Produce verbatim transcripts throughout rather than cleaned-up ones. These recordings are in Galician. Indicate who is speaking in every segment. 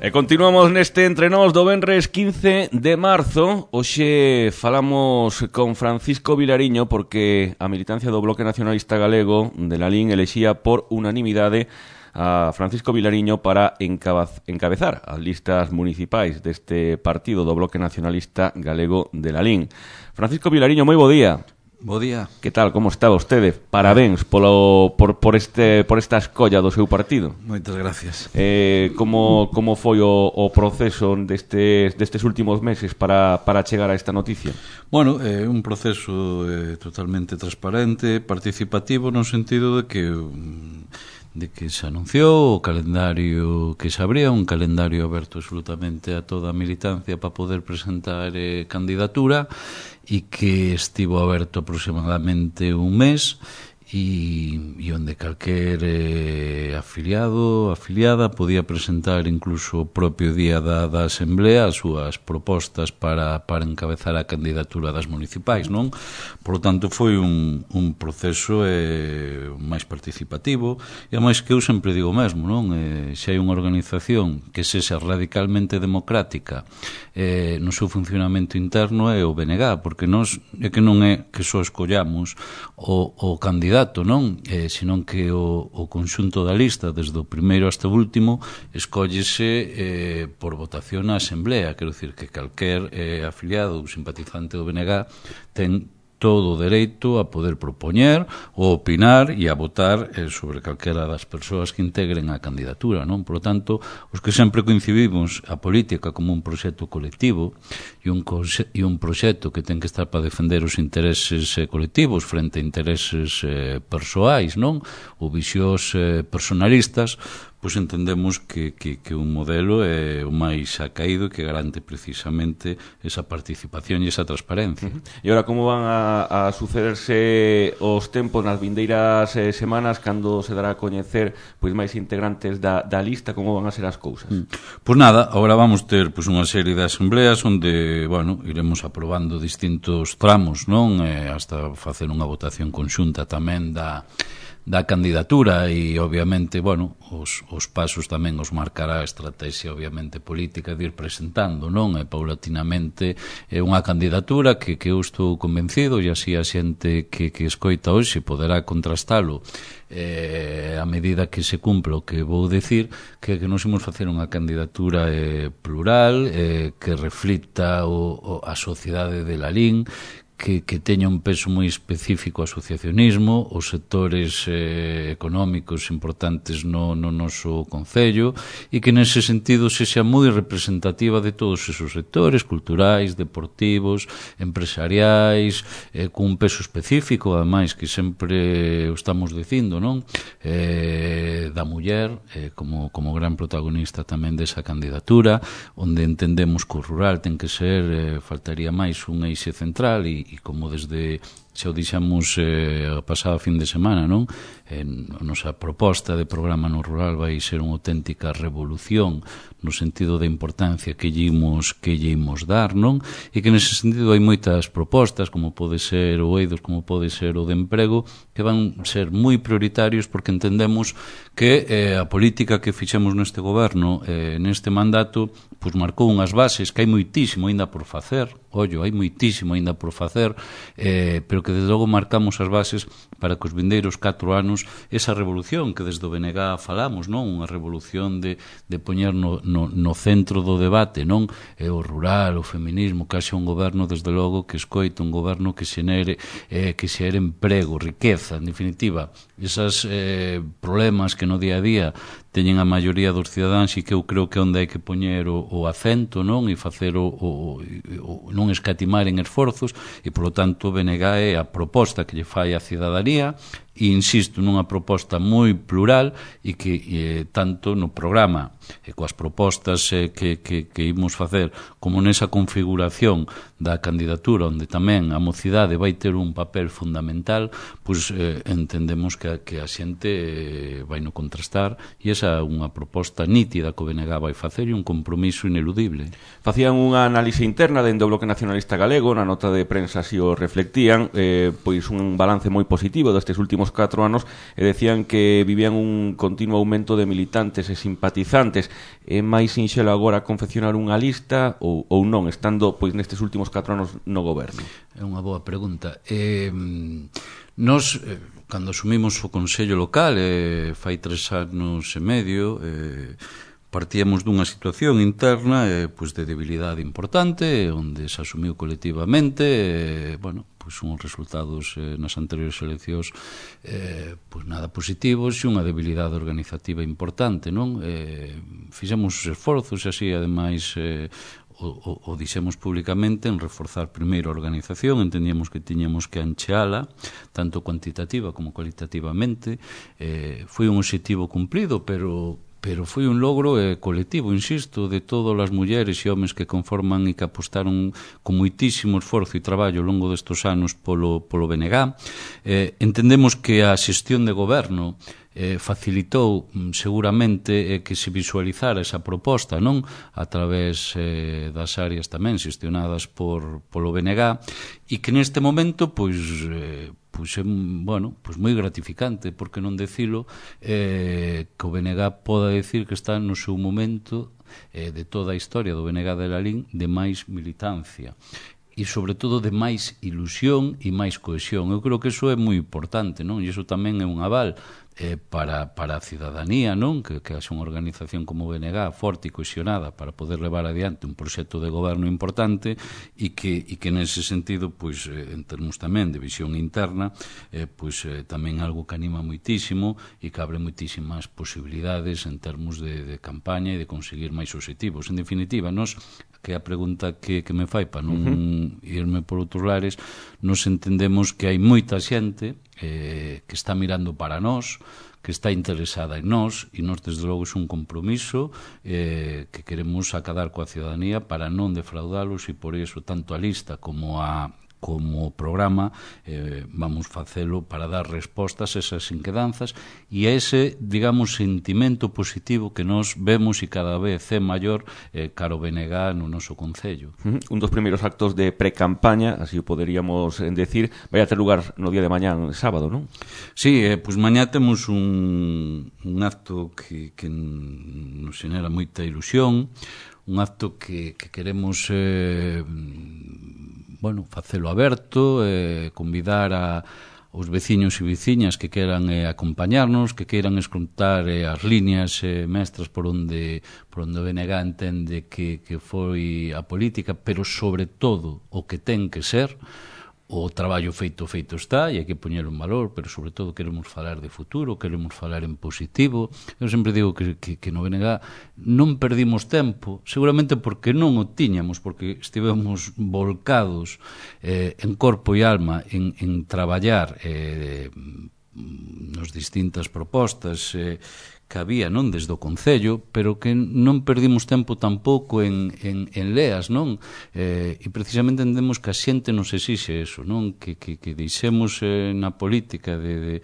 Speaker 1: E continuamos neste Entre Nós do venres quince de marzo. Hoxe falamos con Francisco Vilariño porque a militancia do Bloque Nacionalista Galego de Lalín elexía por unanimidade a Francisco Vilariño para encabezar as listas municipais deste partido do Bloque Nacionalista Galego de Lalín. Francisco Vilariño, moi bo día.
Speaker 2: Bo día.
Speaker 1: Que tal, como está vostede? Parabéns polo, por, por, este, por esta escolla do seu partido.
Speaker 2: Moitas gracias.
Speaker 1: Eh, como, como foi o, o proceso destes, destes últimos meses para, para chegar a esta noticia?
Speaker 2: Bueno, é eh, un proceso eh, totalmente transparente, participativo, no sentido de que de que se anunciou o calendario que se abría, un calendario aberto absolutamente a toda a militancia para poder presentar eh, candidatura, e que estivo aberto aproximadamente un mes e, e onde calquer eh, afiliado, afiliada podía presentar incluso o propio día da, da Asamblea as súas propostas para, para encabezar a candidatura das municipais, non? Por lo tanto, foi un, un proceso eh, máis participativo, e a máis que eu sempre digo mesmo, non? Eh, se hai unha organización que sexa radicalmente democrática eh, no seu funcionamento interno é o B N G, porque nós é que non é que só escollamos o, o candidato, non? Eh, senón que o, o conxunto da lista, desde o primeiro hasta o último, escóllese eh, por votación na Asamblea. Quero dicir que calquer eh, afiliado ou simpatizante do B N G ten todo o dereito a poder propoñer ou opinar e a votar eh, sobre calquera das persoas que integren a candidatura, non? Por lo tanto, os que sempre coincidimos a política como un proxecto colectivo e un, e un proxecto que ten que estar para defender os intereses eh, colectivos frente a intereses eh, persoais, non? Ou visións eh, personalistas, pois entendemos que, que, que un modelo é o máis acaído que garante precisamente esa participación e esa transparencia.
Speaker 1: Uh-huh. E ora, como van a, a sucederse os tempos nas vindeiras eh, semanas cando se dará a coñecer pois máis integrantes da, da lista, como van a ser as cousas?
Speaker 2: Mm. Pois nada, agora vamos ter pois unha serie de asambleas onde, bueno, iremos aprobando distintos tramos, non? Eh, hasta facer unha votación conxunta tamén da da candidatura e, obviamente, bueno, os, os pasos tamén os marcará a estrategia, obviamente, política de ir presentando, non? E, paulatinamente, é unha candidatura que, que eu estou convencido, e así a xente que, que escoita hoxe poderá contrastalo eh, a medida que se cumpla o que vou decir, que, que nos imos facer unha candidatura eh, plural, eh, que reflita o, o, a sociedade de Lalín, Que, que teña un peso moi específico ao asociacionismo, os sectores eh, económicos importantes no, no noso concello, e que nese sentido se xa moi representativa de todos esos sectores culturais, deportivos, empresariais, eh, con un peso específico, ademais, que sempre o estamos dicindo, non? Eh, da muller eh, como, como gran protagonista tamén desa candidatura, onde entendemos que o rural ten que ser, eh, faltaría máis, un eixe central, e e como desde xa o dixamos eh, a pasada fin de semana, non? En, a nosa proposta de programa no rural vai ser unha auténtica revolución no sentido da importancia que lle imos, que lle imos dar, non? E que nese sentido hai moitas propostas, como pode ser o EIDOS, como pode ser o de emprego, que van ser moi prioritarios porque entendemos que eh, a política que fixemos neste goberno, eh, neste mandato, pois marcou unhas bases que hai moitísimo aínda por facer, ollo, hai moitísimo aínda por facer, eh, pero que desde logo marcamos as bases para que os vindeiros catro anos esa revolución que desde o B N G falamos, non? Unha revolución de, de poñer no, no, no centro do debate, non? É o rural, o feminismo, que haxa un goberno desde logo que escoite, un goberno que xenere, eh, que xere emprego, riqueza, en definitiva, esas eh, problemas que no día a día teñen a maioría dos cidadáns e que eu creo que onde hai que poñer o, o acento, non? E facer o, o, o non escatimar en esforzos, e polo tanto o B N G é a proposta que lle fai a cidadanía, e insisto, nunha proposta moi plural e que eh, tanto no programa e coas propostas eh, que, que, que imos facer como nesa configuración da candidatura onde tamén a mocidade vai ter un papel fundamental, pois eh, entendemos que, que a xente eh, vai no contrastar, e esa é unha proposta nítida que o B N G vai facer e un compromiso ineludible.
Speaker 1: Facían unha análise interna dentro do Bloque Nacionalista Galego, na nota de prensa si o reflectían, eh, pois un balance moi positivo destes últimos catro anos, e decían que vivían un continuo aumento de militantes e simpatizantes votantes. É máis sinxelo agora confeccionar unha lista ou, ou non, estando pois nestes últimos catro anos no goberno?
Speaker 2: É unha boa pregunta. Eh, nos, eh, cando asumimos o Consello Local, eh, fai tres anos e medio, eh, partíamos dunha situación interna eh, pues de debilidade importante, onde se asumiu colectivamente, eh, bueno, pues unhos resultados eh, nas anteriores eleccións eh, pues nada positivos e unha debilidade organizativa importante, non? Eh, fixemos os esforzos e así, ademais, eh, o, o, o dixemos públicamente en reforzar primeiro a organización, entendíamos que tiñamos que ancheala, tanto cuantitativa como cualitativamente. Eh, foi un objetivo cumprido, pero pero foi un logro eh, colectivo, insisto, de todas as mulleres e homes que conforman e que apostaron con moitísimo esforzo e traballo ao longo destes anos polo, polo B N G. Eh, entendemos que a xestión de goberno eh, facilitou seguramente eh, que se visualizara esa proposta, non? A través eh, das áreas tamén xestionadas por, polo B N G, e que neste momento, pois, eh, pois é, bueno, pois moi gratificante, porque non decilo, eh, que o B N G poda decir que está no seu momento eh, de toda a historia do B N G de Lalín de máis militancia e sobre todo de máis ilusión e máis cohesión. Eu creo que iso é moi importante, non? E iso tamén é un aval eh, para, para a cidadanía, non? Que, que haxe unha organización como o B N G forte e cohesionada para poder levar adiante un proxecto de goberno importante e que, e que nese sentido, pois, eh, en termos tamén de visión interna, eh, pois eh, tamén algo que anima moitísimo e que abre moitísimas posibilidades en termos de, de campaña e de conseguir máis obxectivos. En definitiva, nos, que é a pregunta que, que me fai para non uh-huh. irme por outros lares, nos entendemos que hai moita xente eh, que está mirando para nós, que está interesada en nós, e nós, desde logo, é un compromiso eh, que queremos acadar coa ciudadanía para non defraudalos, e por iso tanto a lista como a como o programa eh, vamos facelo para dar respostas a esas inquedanzas e a ese, digamos, sentimento positivo que nós vemos e cada vez é maior eh, caro B N G no noso Concello.
Speaker 1: Uh-huh. Un dos primeiros actos de pre-campaña, así o poderíamos decir, vai a ter lugar no día de mañán, sábado, non?
Speaker 2: Sí, eh, pois mañá temos un, un acto que, que nos xenera moita ilusión, un acto que, que queremos eh, bueno, facelo aberto, eh, convidar a os veciños e veciñas que queran eh, acompañarnos, que queiran escrutar eh, as líneas eh, mestras por onde por onde o B N G entende que, que foi a política, pero sobre todo o que ten que ser. O traballo feito feito está e hai que poñelo en valor, pero sobre todo queremos falar de futuro, queremos falar en positivo. Eu sempre digo que, que, que no B N G non perdimos tempo, seguramente porque non o tiñamos, porque estivemos volcados eh, en corpo e alma en, en traballar eh, nos distintas propostas eh, que había, non, desde o Concello, pero que non perdimos tempo tampouco en, en, en leas, non? Eh, e precisamente entendemos que a xente nos exixe eso, non? Que, que, que deixemos eh, na política de, de,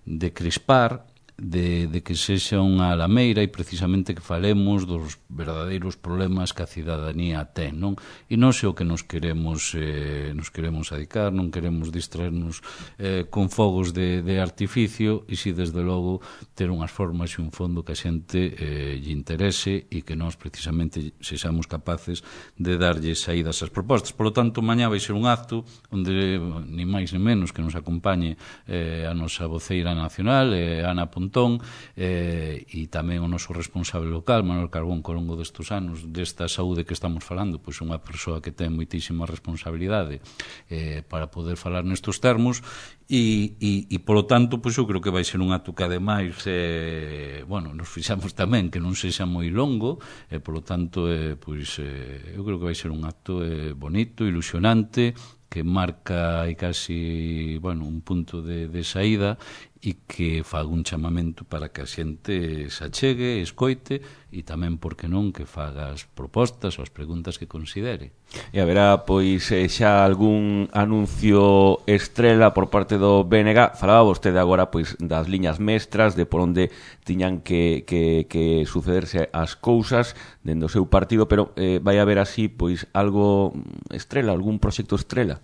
Speaker 2: de crispar, de, de que sexa unha alameira e precisamente que falemos dos verdadeiros problemas que a cidadanía ten, non? E non sei o que nos queremos eh, nos queremos adicar, non queremos distraernos eh, con fogos de, de artificio, e si desde logo ter unhas formas e un fondo que a xente eh, lle interese e que nós precisamente sexamos capaces de darlle saídas ás propostas. Por lo tanto, mañá vai ser un acto onde ni máis ni menos que nos acompañe eh, a nosa voceira nacional, eh, Ana Pontón, eh, e tamén o noso responsable local, Manuel Carbón, que ao longo destes anos desta saúde que estamos falando, pois unha persoa que ten moitísima responsabilidade eh, para poder falar nestes termos, e, e, e polo tanto, pois eu creo que vai ser un acto que ademais eh, bueno, nos fixamos tamén que non sexa moi longo, e polo tanto eh, pois eh, eu creo que vai ser un acto eh, bonito, ilusionante, que marca aí casi, bueno, un punto de, de saída e que faga un chamamento para que a xente se achegue, escoite e tamén, por que non, que faga as propostas ou as preguntas que considere.
Speaker 1: E haberá, pois, xa algún anuncio estrela por parte do B N G. Falaba vostede agora, pois, das liñas mestras, de por onde tiñan que, que, que sucederse as cousas dentro do seu partido, pero eh, vai haber así, pois, algo estrela, algún proxecto estrela?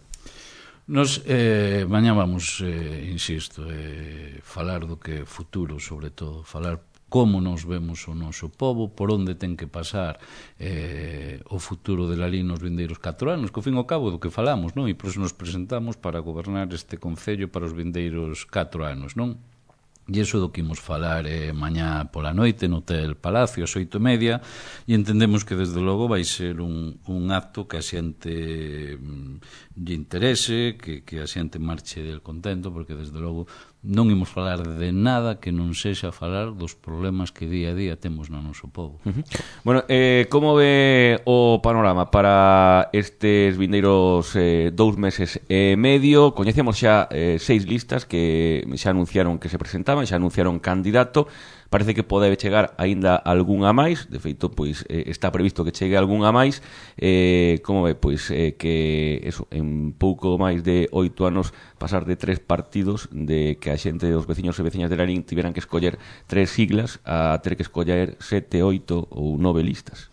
Speaker 2: Nos, eh, mañá vamos, eh, insisto, eh, falar do que é futuro, sobre todo, falar como nos vemos o noso pobo, por onde ten que pasar eh, o futuro de Lalín nos vindeiros catro anos, que ao fin e ao cabo do que falamos, non? E por iso nos presentamos para gobernar este concello para os vindeiros catro anos, non? E iso do que imos falar eh, mañá pola noite no Hotel Palacio, ás oito e media, e entendemos que desde logo vai ser un, un acto que a xente mm, lle interese, que, que a xente marche del contento, porque desde logo non imos falar de nada que non sexa falar dos problemas que día a día temos no noso pobo.
Speaker 1: Uh-huh. Bueno, eh, como ve o panorama para estes vindeiros eh, dous meses e medio? Coñecemos xa eh, seis listas que xa anunciaron que se presentaban, xa anunciaron candidato. Parece que pode chegar aínda algunha máis, de feito, pois eh, está previsto que chegue algunha máis. Eh, como ve, pois eh, que eso, en pouco máis de oito anos pasar de tres partidos, de que a xente dos veciños e veciñas de Lalín tiveran que escoller tres siglas a ter que escoller sete, oito ou nove listas.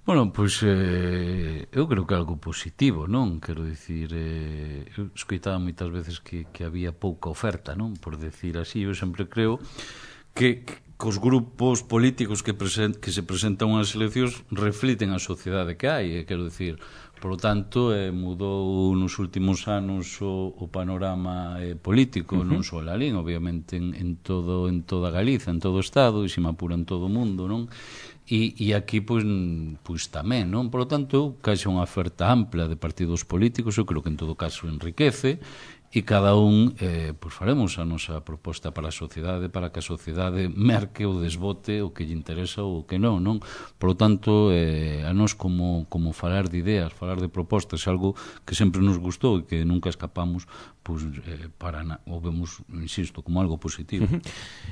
Speaker 2: Bueno, pois eh, eu creo que é algo positivo, non? Quero dicir, eh, eu escoitaba moitas veces que, que había pouca oferta, non? Por decir así, eu sempre creo que, que os grupos políticos que, present, que se presentan unhas eleccións refliten a sociedade que hai, quero dicir, por lo tanto, eh, mudou nos últimos anos o, o panorama eh, político, uh-huh. non só Lalín, obviamente en, en, todo, en toda Galiza, en todo o Estado, e se me apura en todo o mundo, non? E, e aquí, pois, pois tamén, non? Por lo tanto, caixa unha oferta ampla de partidos políticos, eu creo que en todo caso enriquece, e cada un, eh, pois faremos a nosa proposta para a sociedade, para que a sociedade merque ou desbote o que lle interesa ou o que non, non? Por lo tanto, eh, a nós como, como falar de ideas, falar de propostas, algo que sempre nos gustou e que nunca escapamos, pois eh, para na, o vemos, insisto, como algo positivo.
Speaker 1: Uh-huh.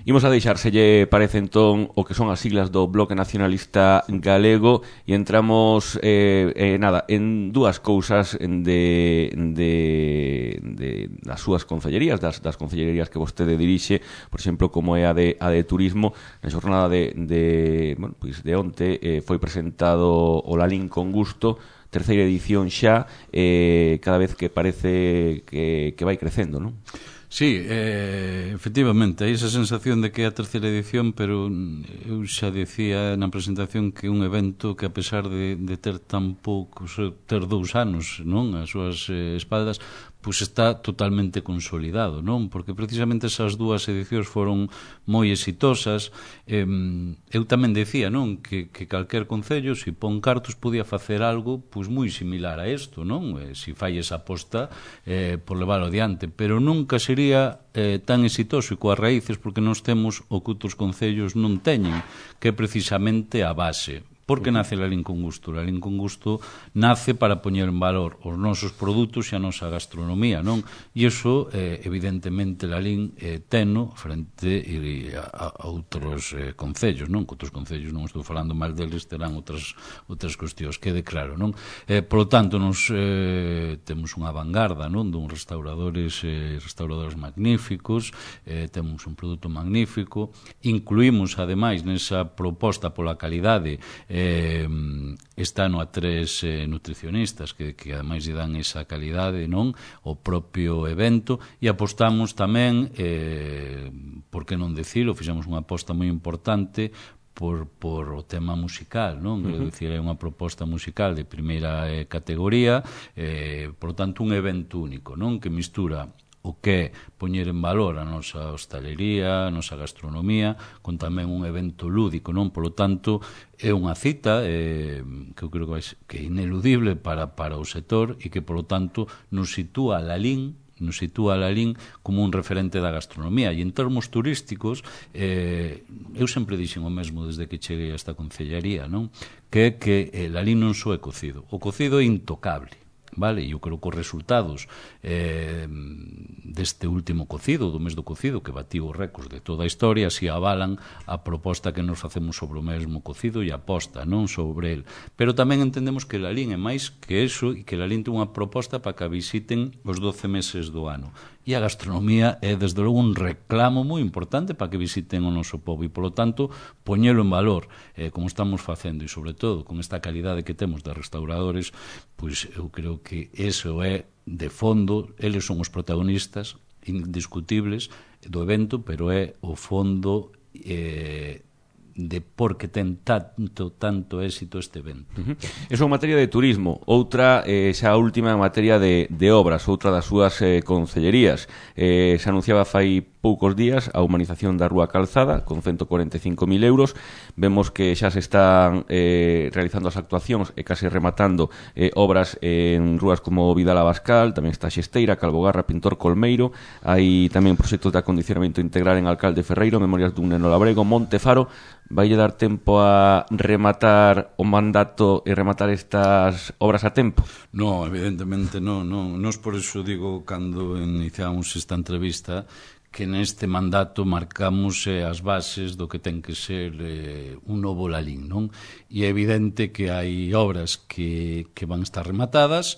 Speaker 1: Imos a deixar, se lle parece entón o que son as siglas do Bloque Nacionalista Galego, e entramos eh, eh, nada, en dúas cousas de, de, de das súas concellerías, das, das concellerías que vostede dirixe, por exemplo, como é a de, a de turismo. Na xornada de, de, bueno, pois de onte eh, foi presentado o Lalín con gusto, terceira edición xa, eh, cada vez que parece que, que vai crecendo, non?
Speaker 2: Sí, eh, efectivamente, hai esa sensación de que é a terceira edición, pero eu xa dicía na presentación que un evento que, a pesar de, de ter tan poucos, ter dous anos, non, as súas eh, espaldas, pois está totalmente consolidado, non? Porque precisamente esas dúas edicións foron moi exitosas. Eh, eu tamén decía, non, que, que calquer concello, se pon cartos, podía facer algo pois moi similar a isto, non? Eh, se fai esa aposta eh, por leválo adiante, pero nunca sería eh, tan exitoso e coas raíces, porque nós temos o que outros concellos non teñen, que é precisamente a base. Por que nace Lalín con gusto? Lalín con gusto nace para poñer en valor os nosos produtos e a nosa gastronomía, non? E iso, eh, evidentemente, Lalín eh, teno frente a, a outros eh, concellos, non? Que outros concellos, non estou falando mal deles, terán outras, outras cuestións, quede claro, non? Eh, por lo tanto, nos eh, temos unha vanguarda, non? Dun restauradores, eh, restauradores magníficos, eh, temos un produto magnífico, incluímos, ademais, nesa proposta pola calidade, eh, Eh, está no a tres eh, nutricionistas que, que ademais lle dan esa calidade, non? O propio evento, e apostamos tamén, eh, por que non decilo, fixemos unha aposta moi importante por, por o tema musical, non? Uh-huh. Quero dicir, é unha proposta musical de primeira eh, categoría, eh, por tanto un evento único, non? Que mistura o que é poñer en valor a nosa hostalería, a nosa gastronomía, con tamén un evento lúdico, non? Por lo tanto, é unha cita eh, que eu creo que, vai, que é ineludible para, para o sector e que, por lo tanto, nos sitúa a Lalín nos sitúa a Lalín como un referente da gastronomía. E en termos turísticos, eh, eu sempre dixen o mesmo desde que cheguei a esta concellaría, non? Que é que eh, Lalín non só é cocido. O cocido é intocable, vale? E eu creo que os resultados eh, deste último cocido, do mes do cocido, que batió os récords de toda a historia, si avalan a proposta que nos facemos sobre o mesmo cocido e a aposta, non sobre el. Pero tamén entendemos que Lalín é máis que eso, e que Lalín ten unha proposta para que a visiten os doce meses do ano. E a gastronomía é, desde logo, un reclamo moi importante para que visiten o noso pobo, e, polo tanto, poñelo en valor, eh, como estamos facendo, e, sobre todo, con esta calidade que temos de restauradores, pois eu creo que eso é, de fondo, eles son os protagonistas indiscutibles do evento, pero é o fondo eh, de por que ten tanto, tanto éxito este evento.
Speaker 1: Uh -huh. Eso en materia de turismo. Outra, eh, xa última en materia de, de obras, outra das súas eh, concellerías. Eh, se anunciaba fai poucos días a humanización da Rúa Calzada con ciento cuarenta e cinco mil euros. Vemos que xa se están eh, realizando as actuacións e case rematando eh, obras en rúas como Vidal Abascal, tamén está Xesteira, Calvogarra, Pintor Colmeiro. Hai tamén proxectos de acondicionamento integral en Alcalde Ferreiro, Memorias dun neno labrego, Montefaro. Vai dar tempo a rematar o mandato e rematar estas obras a tempo?
Speaker 2: No, evidentemente non, non. Nos por eso digo, cando iniciamos esta entrevista, que neste mandato marcamos eh, as bases do que ten que ser eh, un novo Lalín, non? E é evidente que hai obras que, que van estar rematadas,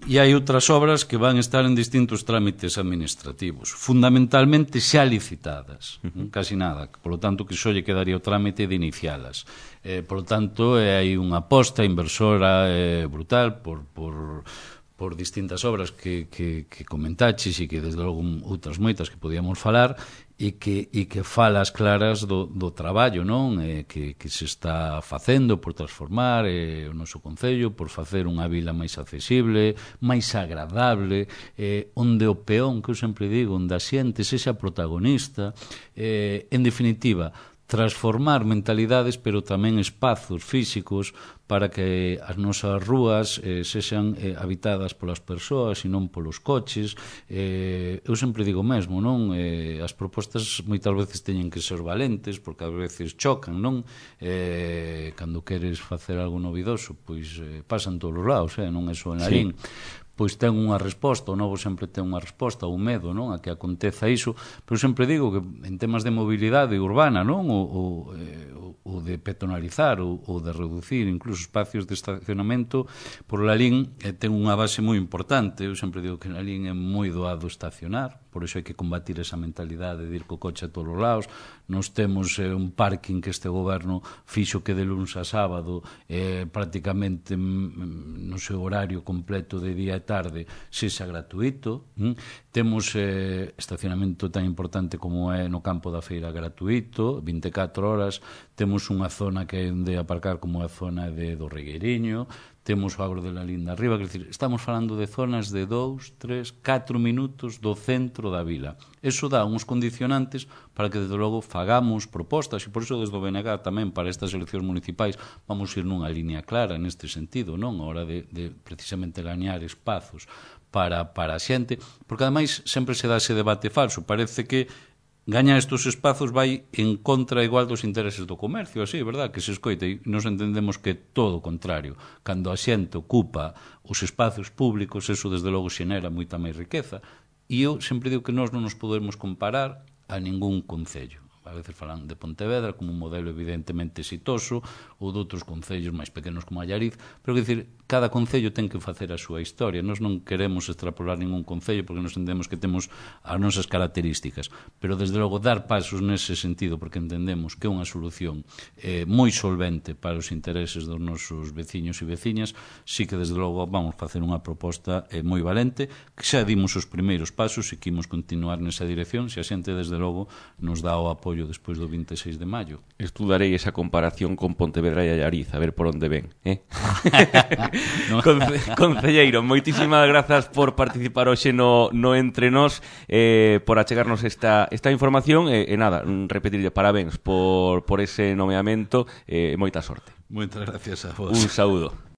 Speaker 2: e hai outras obras que van estar en distintos trámites administrativos, fundamentalmente xa licitadas, uh-huh. casi nada, polo tanto que só lle quedaría o trámite de inicialas. Eh, polo tanto, eh, hai unha aposta inversora eh, brutal por, por, por distintas obras que, que, que comentaches e que desde logo outras moitas que podíamos falar, e que, e que falas claras do, do traballo, non? Eh, que, que se está facendo por transformar eh, o noso concello, por facer unha vila máis accesible, máis agradable, eh, onde o peón, que eu sempre digo, onde a xente sexa protagonista, eh, en definitiva, transformar mentalidades, pero tamén espazos físicos para que as nosas rúas eh, sexan eh, habitadas polas persoas e non polos coches. Eh, eu sempre digo mesmo, non? Eh, as propostas moitas veces teñen que ser valentes, porque ás veces chocan, non? Eh, cando queres facer algo novidoso, pois eh, pasan todos os lados, eh? Non é só en Lalín. Sí. Pois ten unha resposta, o novo sempre ten unha resposta, o medo, non, a que aconteza iso, pero sempre digo que en temas de mobilidade urbana, non, o, o, eh, o de peatonalizar, ou, ou de reducir incluso espacios de estacionamento, por Lalín eh, ten unha base moi importante. Eu sempre digo que Lalín é moi doado estacionar, por iso hai que combatir esa mentalidade de ir co coche a todos os lados. Nos temos eh, un parking que este goberno fixo que de luns a sábado eh, prácticamente mm, no seu horario completo de día e tarde sexa gratuito. Mm? Temos eh, estacionamento tan importante como é no campo da feira gratuito, vinte e catro horas. Temos unha zona que é onde aparcar como é a zona de, do Regueiriño. Temos o Agro de Lalín de arriba, quer dizer, estamos falando de zonas de dous, tres, catro minutos do centro da vila. Eso dá uns condicionantes para que, desde logo, fagamos propostas, e por iso, desde o B N G tamén, para estas eleccións municipais, vamos ir nunha línea clara neste sentido, non? A hora de, de precisamente gañar espazos para, para a xente, porque, ademais, sempre se dá ese debate falso. Parece que gañar estes espazos vai en contra igual dos intereses do comercio, así, verdad, que se escoita, e nos entendemos que é todo o contrario. Cando a xente ocupa os espazos públicos, eso desde logo xenera moita máis riqueza, e eu sempre digo que nós non nos podemos comparar a ningún concello. A veces falan de Pontevedra como un modelo evidentemente exitoso, ou de outros concellos máis pequenos como Allariz, pero que dicir, cada concello ten que facer a súa historia. Nós non queremos extrapolar ningún concello porque nos entendemos que temos as nosas características, pero desde logo dar pasos nese sentido, porque entendemos que é unha solución eh, moi solvente para os intereses dos nosos veciños e veciñas. Sí que desde logo vamos facer unha proposta eh, moi valente, que xa dimos os primeiros pasos e que imos continuar nesa dirección, se a xente desde logo nos dá o apoio despois do vinte e seis de maio.
Speaker 1: Estudarei esa comparación con Pontevedra e Allariz, a ver por onde ven, eh? No. Conce Concelleiro, moitísimas grazas por participar hoxe no, no Entre Nós, eh, por achegarnos esta, esta información, e eh, eh, nada, repetirlle parabéns por, por ese nomeamento, e eh, moita sorte.
Speaker 2: Moitas gracias a vos.
Speaker 1: Un saúdo.